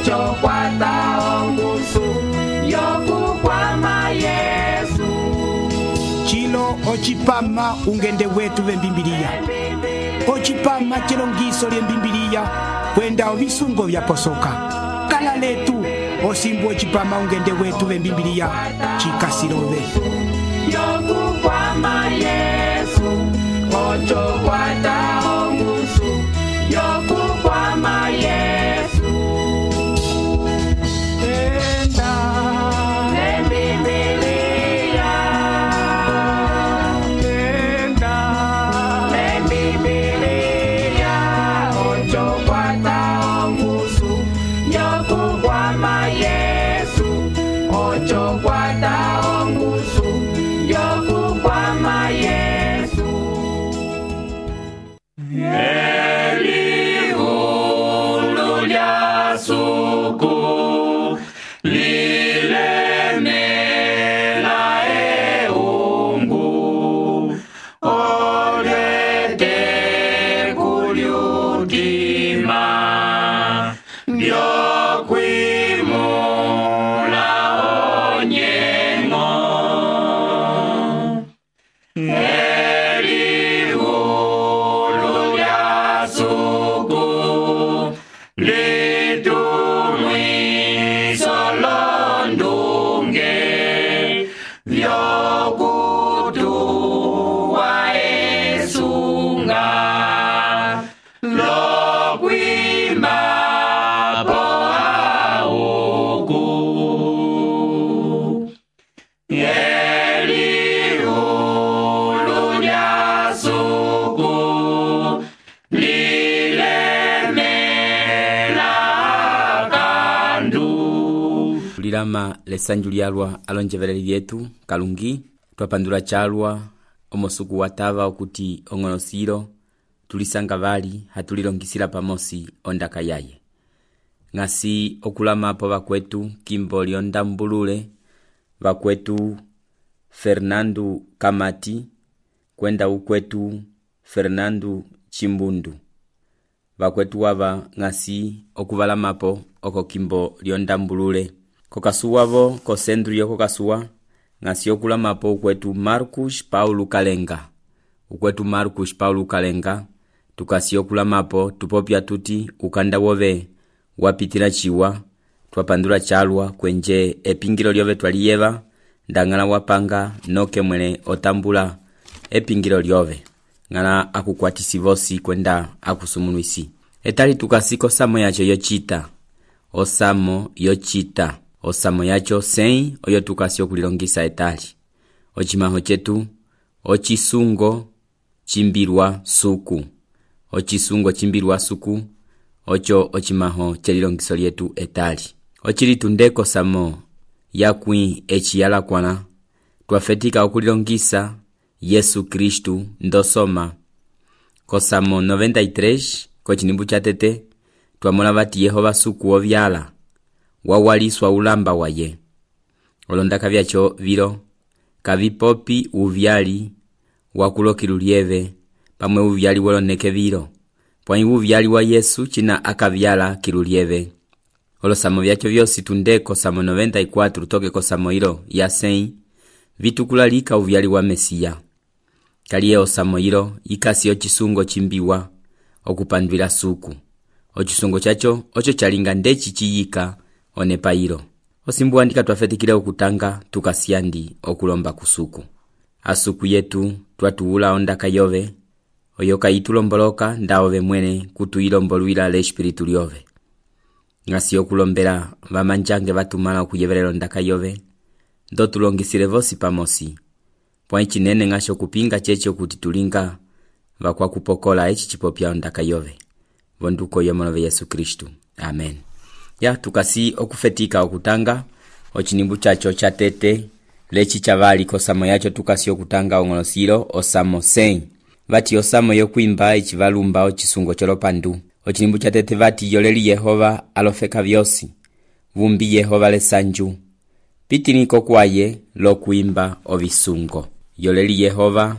ocho kwata ongusu yokukwama Yesu. Chilo ochipama ungende wetu vembimbiliya. Ochipama chilongiso lyembimbiliya kwenda ovisungo vyaposoka. Kala letu osimbu ochipama ungende wetu vembimbiliya chikasilove. Yokukwama Yesu, ocho kwata ongusu yokukwama Yesu. Enda lembibiliya, enda lembibiliya, ocho kwata ongusu yokukwama Yesu, ocho kwata ongusu yokukwama Yesu. Elihulu lya suku lilemela eungu olete kulyutima byokwimula onyengo. Elihulu lya suku litumwiso londunge vyokutuwa esunga lokwimba po auku. Elihulu lya suku lilemela kandu. Tulilama lesanju lyalwa alonjevereri vyetu kalungi twapandula chalwa omosuku watava okuti ong'onosilo tulisanga vali hatulilongisila pamosi ondaka yaye. Ngasi okulamapo vakwetu kimbo lyondambulule, vakwetu Fernando Kamati, kwenda ukwetu Fernando Chimbundu. Vakwetu wava ngasi okuvalamapo oko kimbo lyondambulule. Kokasuwavo kosendru yokokasuwa ngasi okulamapo ukwetu Marcus Paulo Kalenga. Ukwetu Marcus Paulo Kalenga tukasi okulamapo tupopya tuti ukanda wove wapitila chiwa twapandula chalwa kwenje epingilo lyove twaliyeva ndangala wapanga noke mwene otambula epingilo lyove ngala akukwatisivosi kwenda akusumunuisi. Etali tukasiko samo yacho yochita osamo yochita osamo yacho sei oyo tukasi okulilongisa etali ochimaho chetu ochisungo chimbilwa suku. Ochisungo chimbilwa suku ocho ochimaho chelilongiso lyetu etali. Ochilitundeko samo yakwi echiyala kwana twafetika okulilongisa Yesu Kristu ndosoma kosamo 93 kochinimbu cha tete twamola vati Yehova suku ovyala wawaliswa ulamba waye. Olondaka vyacho vilo kavipopi uvyali wakulokilulieve pamwe uvyali woloneke vilo pwani uvyali wa Yesu china akavyala kilulieve. Olosamo vyacho vyosi tundeko samo 94 toke kosamo ilo ya sei vitukulalika uvyali wa Mesia. Kaliye osamo ilo ikasi ochisungo chimbiwa okupandwila suku. Ochisungo chacho ocho chalinga ndechi chiyika onepa ilo. Osimbu andika twafetikile okutanga tukasiandi okulomba kusuku. Asuku yetu twatuula ondaka yove oyoka itulomboloka ndaove mwene kutuilomboluila le espiritu lyove. Ngasi okulombela vamanjange vatumala okuyeverela ondaka yove ndo tulongisile vosi pamosi. Pwa ichinene ngasho kupinga checho kuti tulinga vakwa kupokola echi chipopya ondaka yove. Vonduko yomolove Yesu Kristu. Amen. Ya tukasi okufetika okutanga ochinimbu chacho cha tete lechi chavali kosamo yacho tukasi okutanga ong'onosilo osamo sei. Vati osamo yokuimba ichivalumba ochisungo cholopandu. Ochinimbu cha tete vati yoleli Yehova alofeka vyosi. Vumbi Yehova lesanju. Pitiniko kwaye lokuimba ovisungo. Yoleli Yehova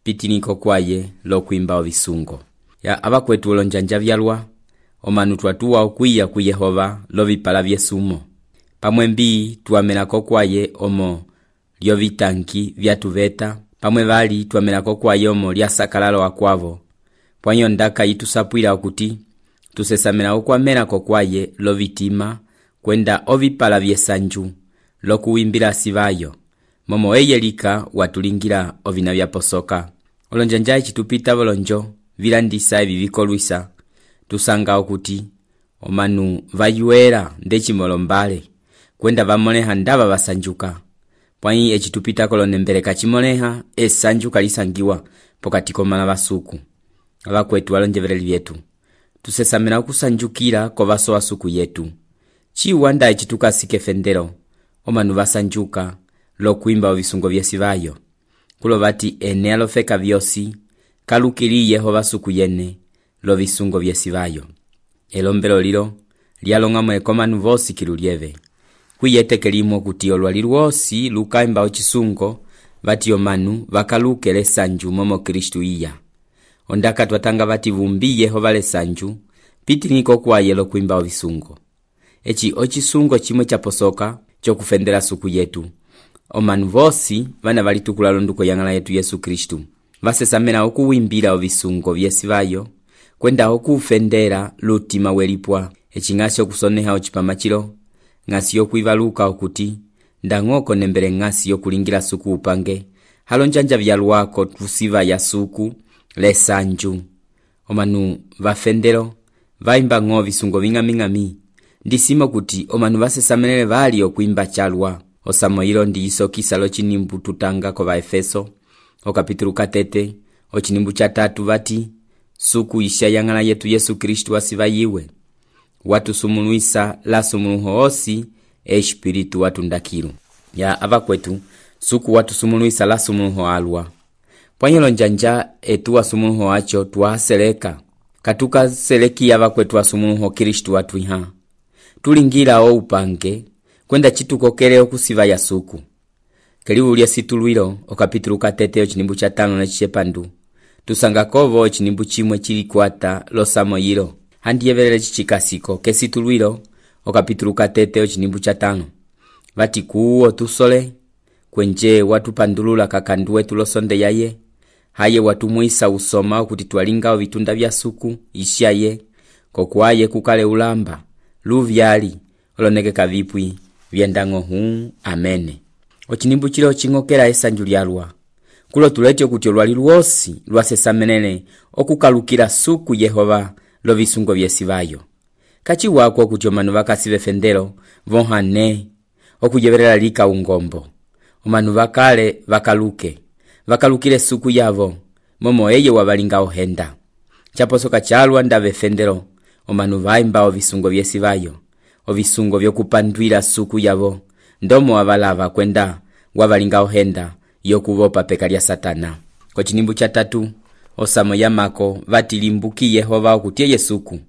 pitiniko kwaye lokuimba ovisungo. Ya abakwetu olonjanja vyalwa omanu twatuwa okwiya ku Yehova lovipala vyesumo. Pamwe mbii tuwamenako kwaye omo lyovitanki vyatuveta, pamwe vali tuwamenako kwaye omo lyasakalalo akwavo. Pwanyo ndaka yitusapwila okuti tusesamena okwamenako kwaye lovitima kwenda ovipala vyesanju lokuwimbila sivayo, momo eyelika watulingira ovina vyaposoka. Olonjanja echitupita volonjo vilandisa evi vikolwisa, tusanga okuti omanu vayuela ndechimolombale kwenda vamoneha ndava vasanjuka. Pwanyi echitupita kolonembele kachimoneha esanjuka lisangiwa pokati komala vasuku. Avakwetu alonjeveleli vyetu, tusesamena okusanjukila kovaso wasuku yetu. Chiwanda echitukasike fendelo omanu vasanjuka lokuimba ovisungo vyesivayo. Kulo vati ene alofeka vyosi kalukili Yehova suku yene lovisungo vyesivayo. Elombelo lilo lyalong'amwe komanu vosi kilulieve. Kwiyetekelimo kuti olwali lwosi lukaimba ochisungo vati omanu vakaluke lesanju momo Kristu iya. Ondaka twatanga vati vumbi Yehova lesanju pitiniko kwaye lokuimba ovisungo. Echi ochisungo chimwe chaposoka chokufendela suku yetu. Omanu vosi vana valitukula londuko yangala yetu Yesu Kristu vasesamena okuwimbila ovisungo vyesivayo kwenda okufendela lutima welipwa. Echi ng'asi okusoneha ochipamachilo, ng'asi yokwivaluka okuti ndang'oko nembele ng'asi yokulingila suku upange halonjanja vyalwako tusiva ya suku lesanju. Omanu vafendelo vaimba ng'o visungo ving'aming'ami, ndisimo kuti omanu vasesamenele vali okuimba chalwa. Osamoilo ndi isokisa lo chinimbu tutanga kova Efeso okapitulu 3 ochinimbu cha 3 vati suku isha yangala yetu Yesu Kristu asiva yiwe watu sumuluisa la sumuluho osi espiritu watu ndakilu ya avakwetu suku watu sumuluisa la sumuluho alwa. Pwanyelo njanja etuwa sumuluho acho tuwaseleka katuka seleki avakwetu wa sumuluho Kristu watu iha tulingira o upange kwenda chitukokele okusiva ya suku. Kelibu lya situlwilo okapitulu 3 ochinimbu cha 5 na chichepandu tusanga kovo ochinimbu chimwe chilikwata losamoyilo handiyevelele chichikasiko kesitulwilo okapitulu 3 ochinimbu cha 5 vati kuuo tusole kwenje watu pandulula kakandu wetu losonde yaye haye watu muisa usoma okuti twalinga vitunda vya suku ishaye kokwaye kukale ulamba luvyali oloneke kavipwi vyendango huu amene. Ochinimbu chilo chingokela esanju lyalwa kulo tulete okuti olwali lwosi lwasesamenele okukalukila suku Yehova lovisungo vyesivayo. Kachi wako okuti omanu vakasive fendelo vohane okujevelela lika ungombo. Omanu vakale vakalukile suku yavo momo eye wabalinga ohenda. Chaposoka chalwa ndave fendelo omanu vaimba ovisungo vyesivayo, ovisungo vyokupandwila suku yavo ndomo wabalava kwenda wabalinga ohenda yokuvopa peka lya Satana. Kochinimbu cha 3 osamo yamako vatilimbuki Yehova okuti eye suku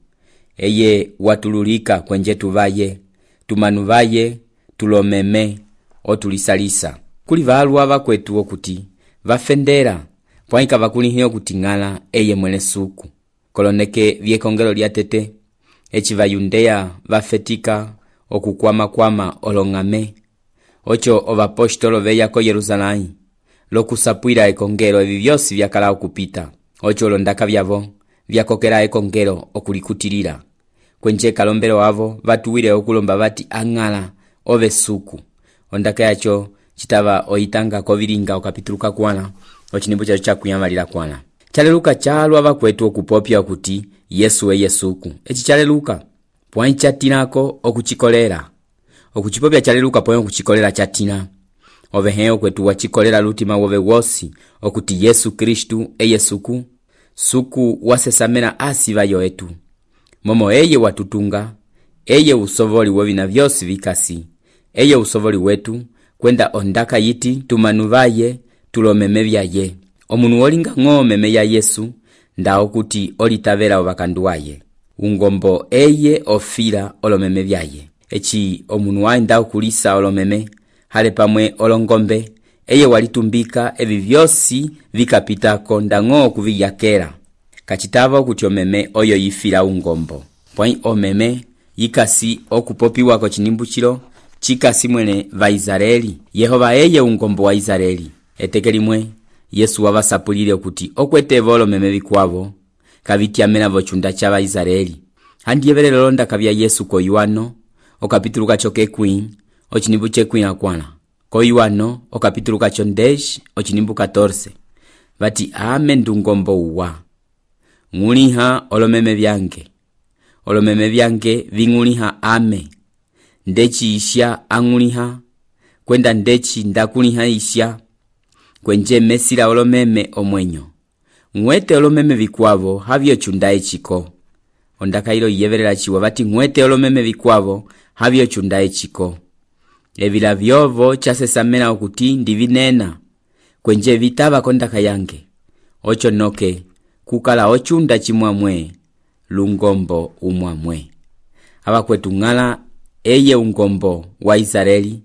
eye watululika kwenje tuvaye tumanu vaye tulomeme otulisalisa. Kuli valwa vakwetu okuti vafendera pwaika vakulihiyo okuti ngala eye mwene suku koloneke vyekongelo lya tete echi vayundeya vafetika okukwama olongame ocho ovapostolo veya ko Yerusalemu lokusapwila ekongelo evi vyosi vyakala okupita ocho olondaka vyavo vyakokela ekongelo okulikutilila kwenje kalombelo wavo vatuwile okulomba vati angala ove suku. Ondaka yacho chitava oitanga kovilinga okapitulu 4 ochinimbu chacho chakuyamalila kwana. Chaleluka chalwa vakwetu okupopya okuti Yesu eye suku. Echi chaleluka pwanyi chatinako okuchikolera okuchipopya chaleluka pwanyi okuchikolera chatina oveheo kwetu wachikolera lutima wove wosi okuti Yesu Kristu eye suku wasesamena asiva yoetu momo eye watutunga eye usovoli wovina vyosi vikasi eye usovoli wetu kwenda ondaka yiti tumanu vaye tulomeme vyaye. Omunu wolinga ng'omeme ya Yesu nda okuti olitavela ovakandu waye ungombo eye ofila olomeme vyaye. Echi omunu waenda okulisa olomeme hale pamwe olongombe eye walitumbika evi vyosi vikapita konda ng'o kuviyakela kachitava okuti omeme oyo yifila ungombo pwai omeme yikasi okupopiwako cinimbu cilo cikasi mwene va Israeli. Yehova eye ungombo wa Israeli. Eteke limwe Yesu wavasapulile okuti okweteva olomeme vikwavo kavityamena vocunda ca Vaisraeli. Handiyevele lolonda kavya Yesu ko Yohano okapitulu kaco kekwĩ ocinimbu cekwĩ akwana. Ko Yohano okapitulu kaco 10 ocinimbu 14 vati ame ndungombo uwa ng'uliha olomeme vyange ving'uliha ame ndeci isya ang'uliha kwenda ndeci ndakuliha isya kwenje mesila olomeme omwenyo ng'wete olomeme vikwavo havyo cunda eciko. Ondakailo yiyevelela ciwa vati ng'wete olomeme vikwavo havyo cunda eciko. Evila vyovo casesamena okuti ndivinena kwenje vitava kondaka yange ocho noke kukala ocunda cimwamwe lungombo umwamwe. Abakwetu ng'ala eye ungombo wa Israeli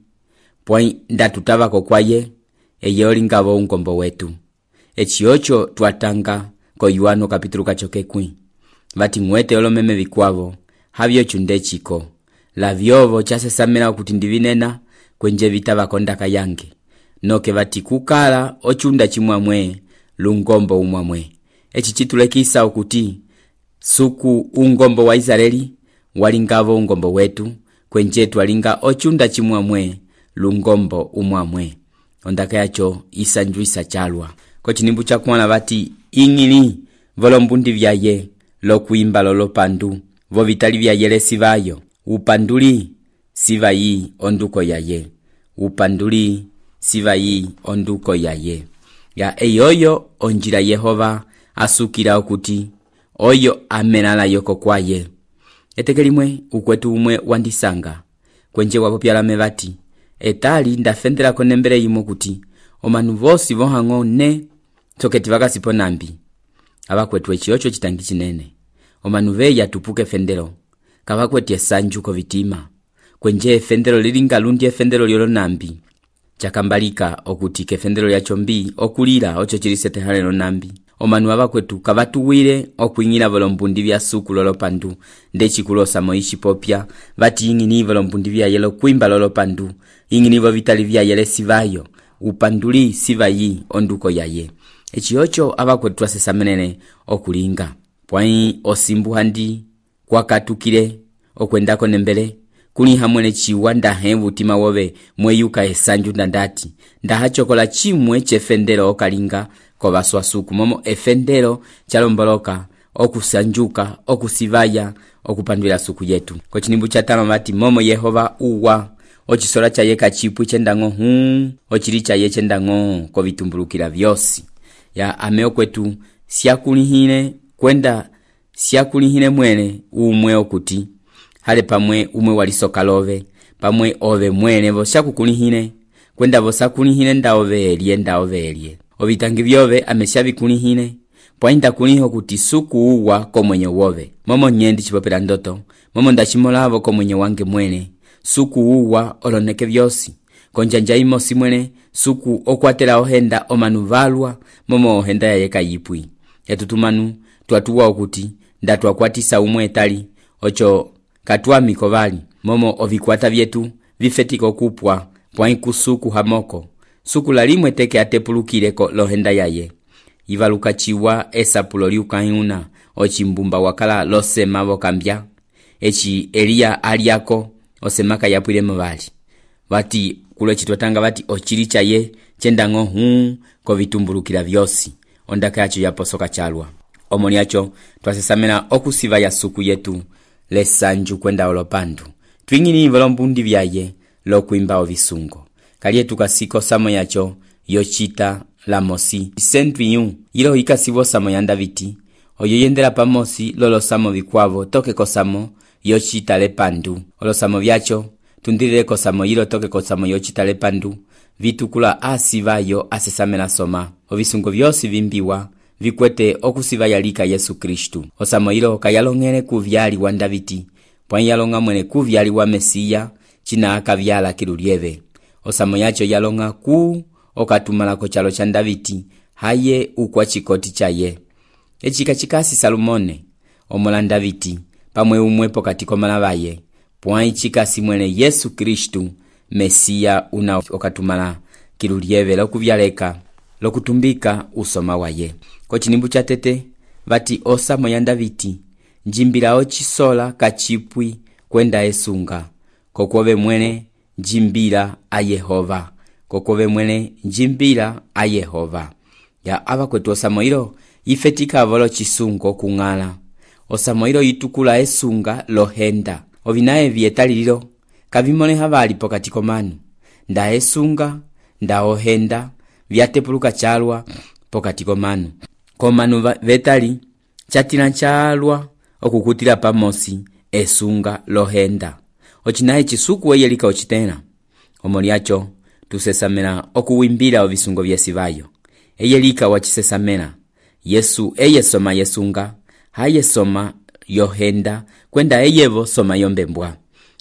pwai ndatutavako kwaye eye olingavo ungombo wetu. Eci ocho twatanga ko Yohano kapitulu kaco kekwĩ vati ng'wete olomeme vikwavo havyo cunda eciko. La vyovo casesamena okuti ndivinena kwenje vitava kondaka yange noke vati kukala ocunda cimwamwe lungombo umwamwe. Eci citulekisa okuti suku ungombo wa Israeli walingavo ungombo wetu kwenje twalinga ocunda cimwamwe lungombo umwamwe. Ondaka yaco isanjuisa calwa ko cinimbu cakuala vati ing'ili volombundi vyaye lokuimba lolopandu vo vitali vyayele sivayo upanduli sivayi onduko yaye upanduli sivayi onduko yaye. Ya eyoyo onjila Yehova asukila okuti oyo amenala yoko kwaye. Eteke limwe ukwetu umwe wandisanga kwenje wapopyalame vati etali ndafendela konembele yimo kuti omanu vosi vohang'o ne toketi vakasipo nambi. Abakwetu eciocho citangi cinene omanu veya tupuke fendelo kavakweti esanju ko vitima kwenje fendelo lilinga lundi efendelo lyolo nambi cakambalika okuti kefendelo lya chombi okulila ocho cilisete halelo nambi. Omanu abakwetu kavatuwile okuing'ila volombundi vya suku lolopandu ndecikulosa moishi popya vati ing'ini volombundi vya yelo kuimba lolopandu ing'ini vo vitali vya yele sivayo upanduli sivayi onduko yaye. Eci ocho abakwetu asesamenene okulinga pwai osimbu handi kwakatukile okwendako nembele kuliha mwene ciwa ndahe vutima wobe mweyuka esanju ndandati ndahachokola cimwe cefendelo okalinga ko baswasuku momo efendelo chalomboloka okusanjuka okusivaya okupandwila suku yetu. Ko cinimbu catama vati momo Yehova uwa ochisola cha yeka chipu chendang'o ochili cha ye chendang'o ko vitumbulukila vyosi. Ya ameo kwetu siakulihine kwenda siakulihine mwene umwe okuti hale pamwe umwe walisoka love pamwe ove mwene voshakukulihine kwenda vosakulihine ndaove elie ovitangi vyove ameshavikulihine pwainda kuliho kuti suku uwa ko mwenye wove momo nyendi chipopela ndoto momo ndachimolavo ko mwenye wange mwene suku uwa oloneke vyosi konjanja imosi mwene suku okwatela ohenda omanu valwa momo ohenda yayeka yipwi yatutumanu twatuwa okuti ndatwakwatisa umwe etali ocho katwami kovali momo ovikwata vyetu vifetiko kupwa pwai kusuku hamoko suku lalimwe teke atepulukile ko lohenda yaye ivaluka chiwa esapulo liukayuna ochimbumba wakala losema vokambya echi Eliya aliako osemaka yapwile mvali vati kulo chitotanga vati ochili chaye chendang'o ko vitumbulukila vyosi. Ondaka yacho yaposoka chalwa omoni yacho twasesamena okusiva ya suku yetu lesanju kwenda olopandu twing'ini volombundi vyaye lokuimba ovisungo kaliye tukasiko samo yacho yochita la mosi sentwiyu ilo ikasivo samo yanda viti oyo yendela pamosi lolo samo vikwavo toke kosamo yochita lepandu olosamo vyacho tundilile kosamo yilo toke kosamo yochita lepandu vitukula asivayo asesamena soma ovisungo vyosi vimbiwa vikwete okusiva yalika Yesu Kristu. Osamo yilo kayalongele kuvyali wa Daviti pwai yalonga mwene kuvyali wa Mesiya china akavyala kilulieve. Osamo yacho yalonga ku okatumala ko chalo cha Daviti haye ukwa chikoti chaye echika chikasi Salomone omola Daviti pamwe umwe pokati komala baye pwai chikasi mwene Yesu Kristu Mesiya una okatumala kilu lyeve lokuvyaleka lokutumbika usoma waye. Ko chinimbu cha tete vati osamo ya Daviti njimbila ochisola kachipwi kwenda esunga kokove mwene njimbila a Yehova kokove mwene njimbila a Yehova. Ya ava kwetu osamoilo ifetika volo chisungo kung'ala osamoilo itukula esunga lohenda ovinaye vietalililo kavimone havali pokati komanu nda esunga nda ohenda vyatepuluka chalwa pokati komanu komanu vetali chatila chalwa okukutila pamosi esunga lohenda ochinaye chisuku weyelika ochitena omoliacho tusesamela okuwimbila ovisungo vyesivayo eyelika wachisesamela Yesu eyesoma yesunga hayesoma yohenda kwenda eyevo soma yombembwa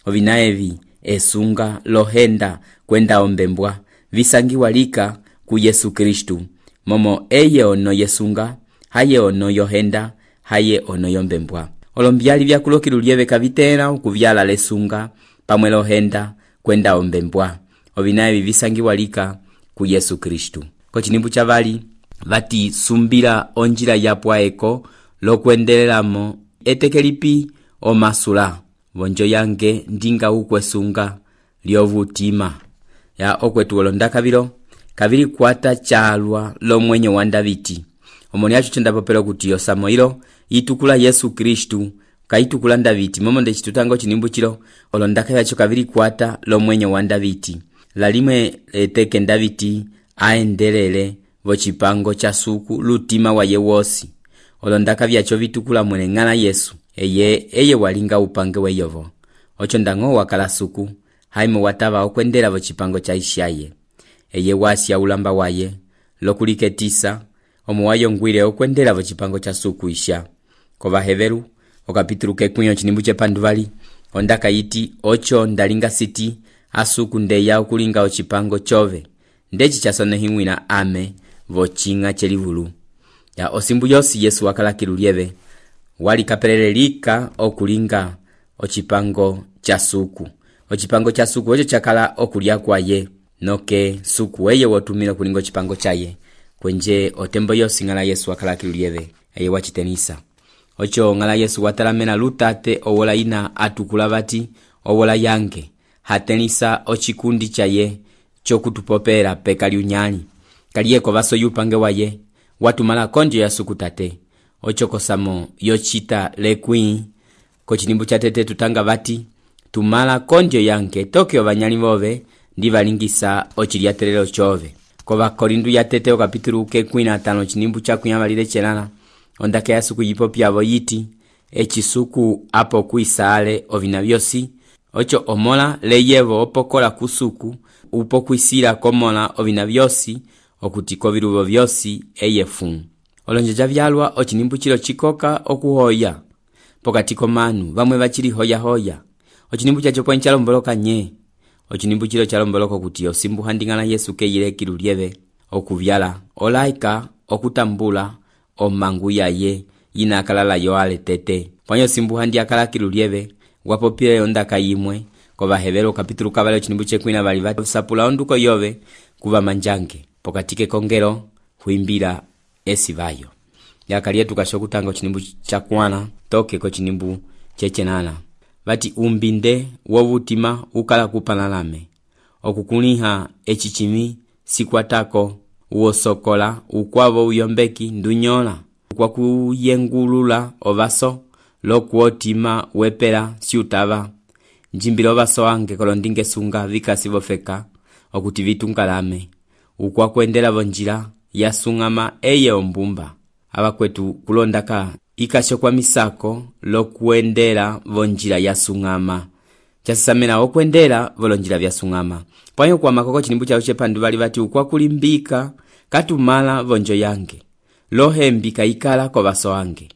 ovinaevi esunga lohenda kwenda ombembwa visangiwalika ku Yesu Kristu momo eye ono yesunga haye ono yohenda haye ono yombembwa olombyali vyakulokilu lyeve kavitela ukuvyala lesunga pamwe lohenda kwenda ombembwa ovinaevi visangiwalika ku Yesu Kristu. Ko chinimbu chavali vati sumbila onjila yapwaeko lokwendelelamo etekelipi omasula vonjo yange ndinga ukwesunga lyovutima ya okwetu olondakavilo kavili kwata chalwa lomwenyo wa Daviti omoliacho chendapopelo kuti osamoilo itukula Yesu Kristu kaitukula Daviti momo nde chitutango chinimbu chilo olondakayacho kavili kwata lomwenyo wa Daviti lalimwe eteke Daviti aendelele vochipango cha suku lutima wa yewosi olondaka vyacho vitukula mwene ng'ala Yesu eye walinga upange weyovo ocho ndango wakala suku haime watava okwendela vochipango cha ishaye eye wasya ulamba waye lokuliketisa omuwayo ngwile okwendela vochipango cha suku isha kova heveru okapitulu kekunyo chinimbu chepanduvali ondaka yiti ocho ndalinga siti asuku ndeya okulinga ochipango chove ndechi chasonehimwina ame vochinga chelivulu ya osimbu yosi Yesu wakala kilulieve wali kapelelelika okulinga ochipango cha suku ocho chakala okulia kwaye noke suku eye wotumila kulinga ochipango chaye kwenje otembo yosi ngala Yesu wakala kilulieve eye wachitenisa ocho ngala Yesu watalamena lutate owola ina atukula vati owola yange hatenisa ochikundi chaye chokutupopera pekali unyali kaliyeko vaso yupange waye watumala konjo ya suku tate ochokosamo yochita lekwi ko chinimbu cha tete tutanga vati tumala konjo yange tokyo vanyali vove ndivalingisa ochiliatelelo chove kova korindu ya tete okapitulu kekwi na 5 chinimbu cha kunyamalile chelala ondake ya suku yipopyavo yiti echisuku apo kuisale ovina vyosi ocho omola leyevo opokola kusuku upo kwisila komola ovina vyosi okutiko viluvo vyosi eyefu olonjeja vyalwa ochinimbu chilo chikoka okuhoya pokati komanu vamwe vachili hoya ochinimbu chacho pwa nchalomboloka nye ochinimbu chilo chalomboloka kuti osimbu handingana Yesu keyile kilulieve okuvyala olaika okutambula omangu yaye yina akalala yoale tete pwanyo simbu handi akala kilulieve wapopile ondaka yimwe kova hevelo kapitulu kavale ochinimbu chekwina vali vasapula onduko yove kuva manjange pokatike kongelo huimbila esivayo yakaliye tukashokutanga ochinimbu chakwana toke ko chinimbu chechenana vati umbinde wovutima ukala kupanalame okukuliha echichimi sikwatako uosokola ukwavo uyombeki ndunyola kwa kuyengulula ovaso lokuotima wepela siutava njimbilo vaso ange kolondinge sunga vikasi vofeka okuti vitungalame ukwa kwendela vonjila yasungama eye ombumba abakwetu kulondaka ikasho kwa misako lokuendela vonjila yasungama chasamena okwendela volonjila vyasungama pwanyo kwa makoko chinimbu chao chepandu bali vati ukwa kulimbika katumala vonjo yange lohembika ikala kwa vaso ange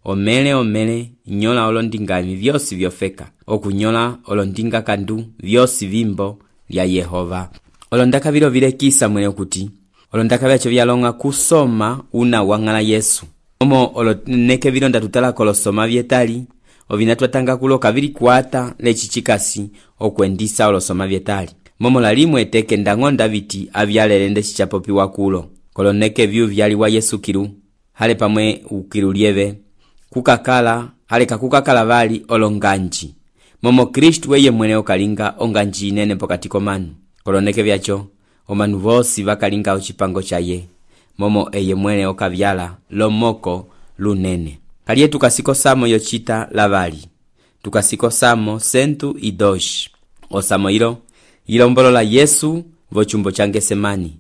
omele nyola olondingami vyosi vyofeka okunyola olondinga kandu vyosi vimbo lya Yehova olondaka vilo vilekisa mwene okuti olondaka vyacho vyalonga kusoma una wangala Yesu omo oloneke vilo ndatutala kolosoma vyetali ovina twatanga kuloka vili kwata leci cikasi okwendisa olosoma vyetali momo lalimwe teke ndang'onda viti avyalele ndeci capopiwa kulo koloneke vyu vyaliwa Yesu kilu hale pamwe ukilu lieve kukakala haleka kukakala vali olonganji momo Kristu weye mwene okalinga onganji inene pokati komanu koloneke vyacho omanu vosi vakalinga ocipango caye momo eye mwene okavyala lomoko lunene kaliye tukasikosamo yocita lavali tukasikosamo 102 osamo ilo ilombolola Yesu vocumbo ca Ngesemani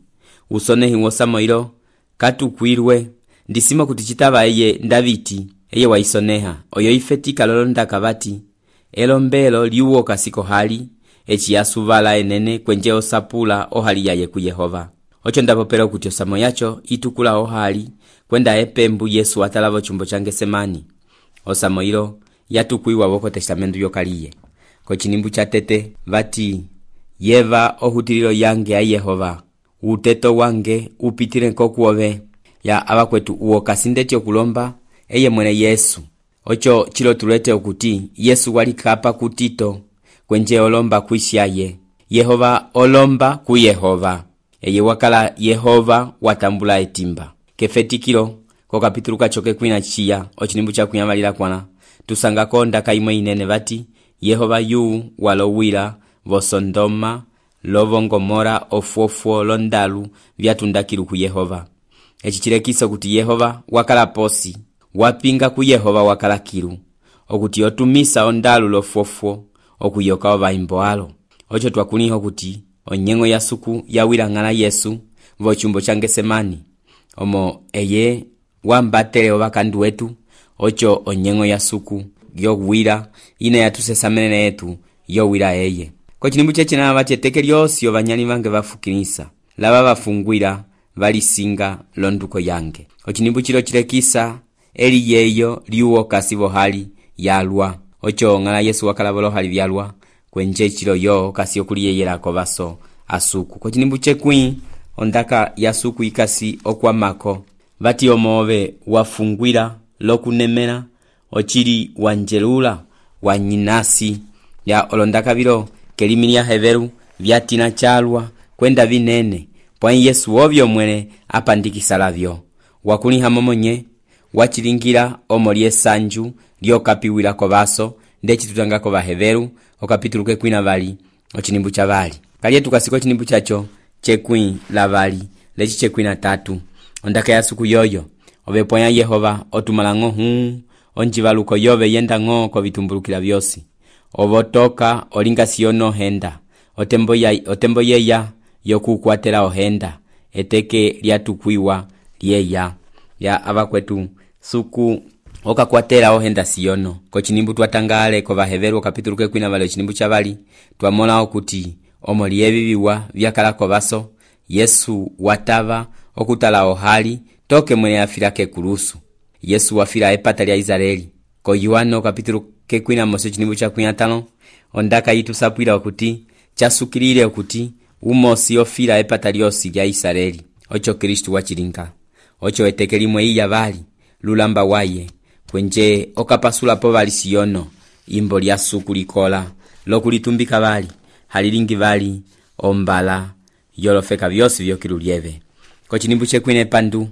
usonehi wosamo ilo katukwirwe ndisimo kuti citava eye Ndaviti eye waisoneha oyo ifetika lolondaka vati elombelo liuwo kasiko hali eci yasuvala enene kwenje osapula ohali yaye ku Yehova ocho ndapopera kuti osamo yacho itukula ohali kwenda epembu Yesu atala vocumbo ca Ngesemani osamo ilo yatukwiwa voko testamentu yokaliye ko cinimbu ca tete vati yeva ohutililo yange ya Yehova uteto wange upitile kokuove ya abakwetu uwo kasindetyo kulomba eye mwene Yesu ocho chilo tulete okuti Yesu walikapa kutito kwenje olomba kuisyaye Yehova olomba ku Yehova eye wakala Yehova watambula etimba kefetikilo ko kapitulu kachoke kwina chiya ochinimbu cha kunyamalira kwana tusangako ndaka imwe inene vati Yehova yu walowira vosondoma lovongomora ofuofuo londalu vyatundakilu ku Yehova eci chilekiso kuti Yehova wakala posi wapinga ku Yehova wakala kilu okuti otumisa ondalu lofuofuo okuyoka ovaimbo alo ocho twakuliho kuti onyengo ya suku yawira ng'ala Yesu vocumbo ca Ngesemani omo eye wambatele ovakandu wetu ocho onyengo ya suku yowira ine yatusesamene yetu yowira eye ko cinimbu cecina vaceteke lyosi ovanyali vange vafukilisa lava vafungwira valisinga londuko yange ocinimbu cilo cilekisa eli yeyo liuwo kasi vohali yalwa ocho ng'ala Yesu wakala volohali vyalwa kwenje cilo yo kasi okuliyeyelako vaso asuku ko cinimbu cekwi ondaka ya suku ikasi okwamako vati omove wafungwira lokunemela ochili wanjelula wanyinasi ya olondaka vilo kelimi lya heveru vyatina chalwa kwenda vinene pwani Yesu ovyo mwene apandikisa lavyo wakuliha momonye wachilingira omo lyesanju lyokapiwilako vaso ndeci tutangako vaheveru okapituluke kwina vali ochinimbu cha vali kaliye tukasiko chinimbu chacho chekwi la vali leci chekwi na tatu ondaka ya suku yoyo ovepwanya Yehova otumalango onjivaluko yove yenda ng'o ko vitumbulukila vyosi ovotoka olinga siyono henda otembo yeya yokukwatela ohenda eteke lyatukwiwa lyeya ya abakwetu suku okakwatela ohenda siyono ko cinimbu twatangale ko vaheveru kapituluke kwina vale cinimbu cha vali twamola okuti omo lyeviviwa vyakalako vaso Yesu watava okutala ohali toke mwene afilake kulusu Yesu wafila epata lya Israeli ko Yohana kapituluke kwina mose cinimbu cha kwina tano ondaka yitusapwila okuti chasukilile okuti umosi ofila epata lyosi lya Israeli ocho Kristu wachilinga ocho eteke limwe iya vali lulamba waye kwenje okapasula po vali siyono imbo lya suku likola lokulitumbika vali halilingi vali ombala yolofeka vyosi vyokilu lyeve ko cinimbu cekwine pandu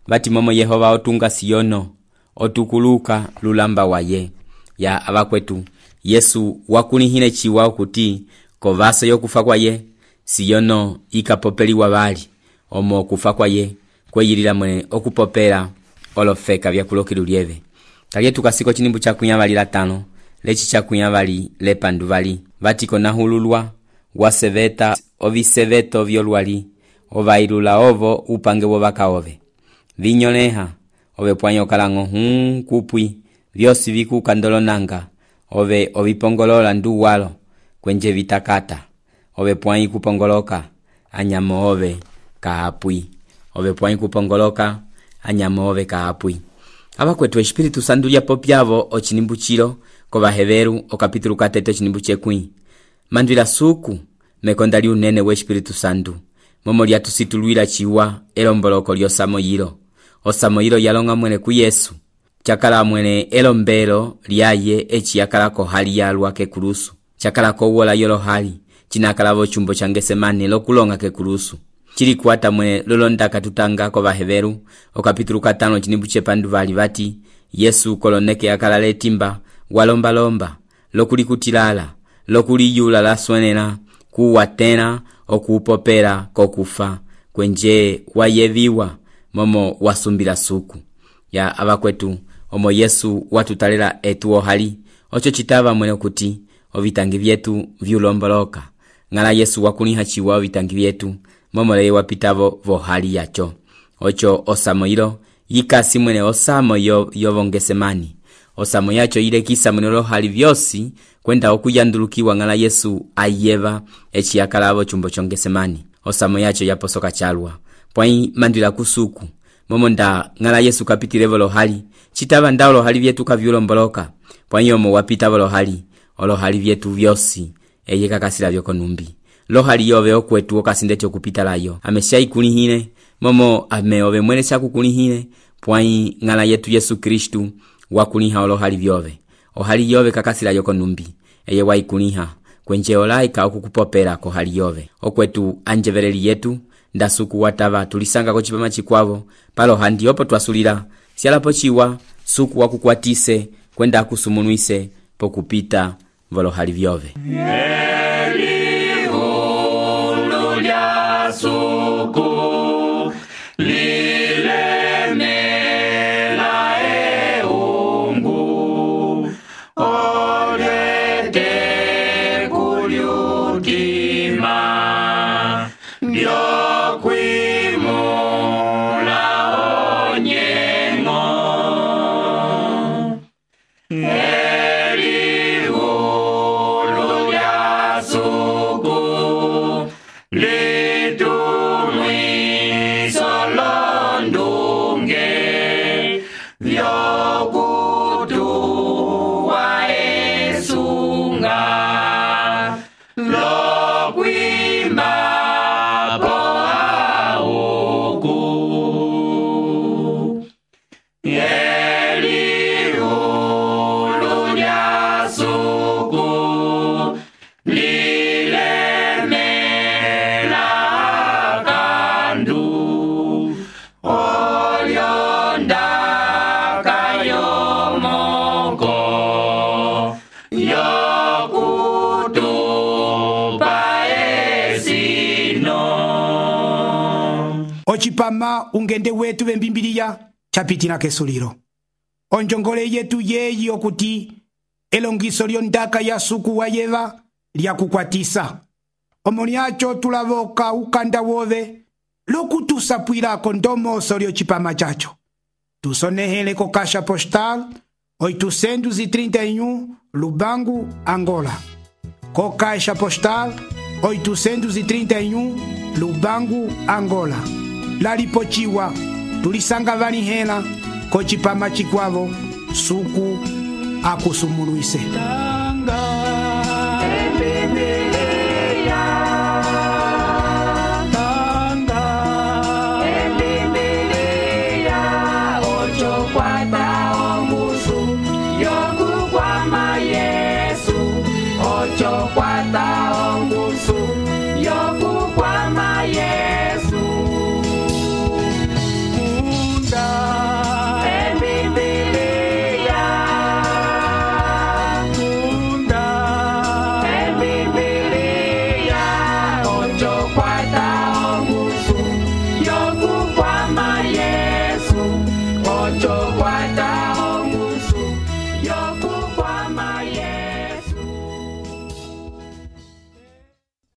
vati momo Yehova otunga siyono otukuluka lulamba waye ya abakwetu Yesu wakulihile chiwa okuti kovaso yokufa kwaye siyono ikapopeliwa vali omo kufa kwaye kweyilila mwene okupopela olofeka vyakulokilu lyeve kaliye tukasiko cinimbu cha kunyavalila tano leci cha kunyavali lepandu vali vati konahululwa waseveta oviseveto vyolwali ovailula ovo upange wovaka ove vinyoleha ove pwanya okalango kupwi vyosi vikukandolonanga ove ovipongolola ndu walo kwenje vitakata ove pwanya kupongoloka anyamo ove kaapwi ove pwanya kupongoloka anyamo ove kaapwi abakwetu Espiritu Santu lyapo pyavo ochinimbu chilo ko vaheveru okapitulu katete ochinimbu chekwi mandwila suku mekonda liunene we Espiritu Santu momo lyatusitulwila chiwa elomboloko lyosamo yilo osamo yilo yalonga mwene ku Yesu chakala mwene elombelo lyaye eci yakalako hali yalwa kekulusu, chakalako wola yolo hali chinakalavo chumbo cha Getsemani lokulonga kekulusu. Chili kuata mwene lolonda katutanga kwa Baheberu okapitulu 5 chinibu chepandu vali vati Yesu koloneke yakalale timba walomba lokulikutilala lokuliyula laswenena kuwa tena okupopera kokufa kwenje wayeviwa momo wasumbila suku ya abakwetu omo Yesu watutalela etuo hali ocho chitava mwene kuti ovitangi vyetu vyulomboloka ngala Yesu wakuniha chiwa ovitangi vyetu momo leye wapitavo vo hali yacho ocho osamo ilo yikasi mwene osamo yovo Getsemani osamo yacho ile kisa mwene lo hali vyosi kwenda okuyandulukiwa ngala Yesu ayeva eci yakalavo chumbo cha Getsemani osamo yacho yaposoka chalwa pwai mandila kusuku momo nda ngala Yesu kapitilevo lo hali chitava ndao lo hali vyetu kavyulomboloka pwai omo wapitavo lo hali vyetu vyosi eye kakasila vyoko numbi lo hali yove okwetu okasindete okupita layo amesha ikunihine momo ameove mwene chakukunihine pwai ngala yetu Yesu Kristu wakuniha olo hali vyove ohali yove kakasila yoko numbi eye waikuniha kwenje olaika okukupopera ko hali yove okwetu anjevereli yetu ndasuku watava tulisanga ko chipama chikwavo palo handi opo twasulira sialapo chiwa suku wakukwatise kwenda kusumunuise pokupita volo hali vyove suku lilemela eungu olete kuliutima ndiokwimula onyengo elihulu lya suku Ochipama ungende wetu bembimbiriya chapitina kesuliro. Onjongole yetu yeyi okuti elongiso lyondaka ya suku wayeva lyakukwatisa. Omoniacho tulavoka ukanda wove lokutusapwilako ndomoso lyochipama chacho. Tusonehele ko Caixa Postal 831 Lubangu, Angola. Ko Caixa Postal 831 Lubangu, Angola. Lalipochiwa tulisanga vanihela ko chipama chikwavo suku akusumunuise.